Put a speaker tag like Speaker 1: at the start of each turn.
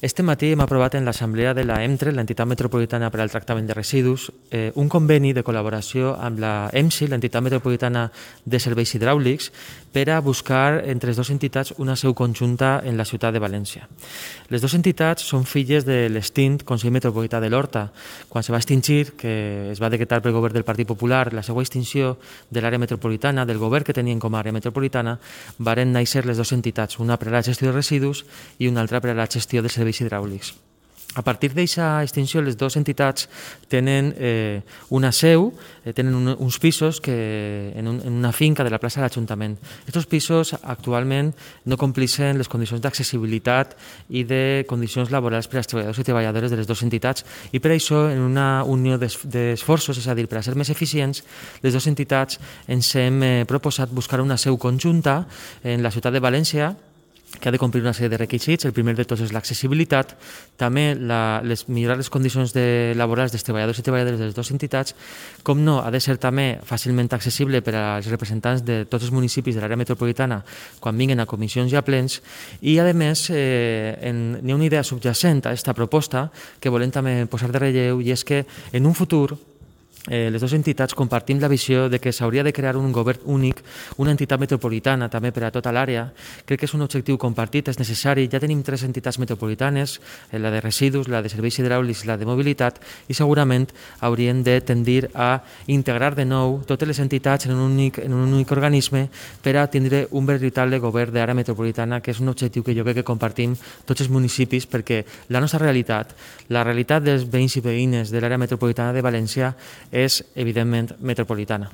Speaker 1: Este matí hem aprovat en l'Assemblea de la EMTRE, l'Entitat Metropolitana per al Tractament de Residus, un conveni de col·laboració amb la EMSI, l'Entitat Metropolitana de Serveis Hidràulics, per a buscar entre les dues entitats una seu conjunta en la ciutat de València. Les dues entitats són filles de l'extint Consell Metropolità de l'Horta. Quan se va extingir, que es va decretar pel govern del Partit Popular, la seva extinció de l'àrea metropolitana, del govern que tenien com a àrea metropolitana, varen néixer les dues entitats, una per a la gestió de residus i una altra per a la gestió de serveis hidràulics. A partir d'aquesta extinció, les dues entitats tenen una seu, tenen uns pisos en una finca de la plaça de l'Ajuntament. Aquests pisos actualment no compleixen les condicions d'accessibilitat i de condicions laborals per als treballadors i treballadores de les dues entitats i per això, en una unió d'esforços, és a dir, per a ser més eficients, les dues entitats ens hem proposat buscar una seu conjunta en la ciutat de València, que ha de complir una sèrie de requisits. El primer de tots és l'accessibilitat, també millorar les condicions laborals dels treballadors i treballadores de les dues entitats, com no, ha de ser també fàcilment accessible per als representants de tots els municipis de l'àrea metropolitana quan vinguin a comissions i a plens, i a més n'hi ha una idea subjacent a aquesta proposta que volem també posar de relleu, i és que en un futur les dues entitats compartim la visió de que s'hauria de crear un govern únic, una entitat metropolitana també per a tota l'àrea. Crec que és un objectiu compartit, és necessari. Ja tenim 3 entitats metropolitanes, la de residus, la de serveis hidràulics i la de mobilitat, i segurament haurien de tendir a integrar de nou totes les entitats en un únic organisme per a tindre un veritable govern d'àrea metropolitana, que és un objectiu que jo crec que compartim tots els municipis, perquè la nostra realitat, la realitat dels veïns i veïnes de l'àrea metropolitana de València, és evidentment metropolitana.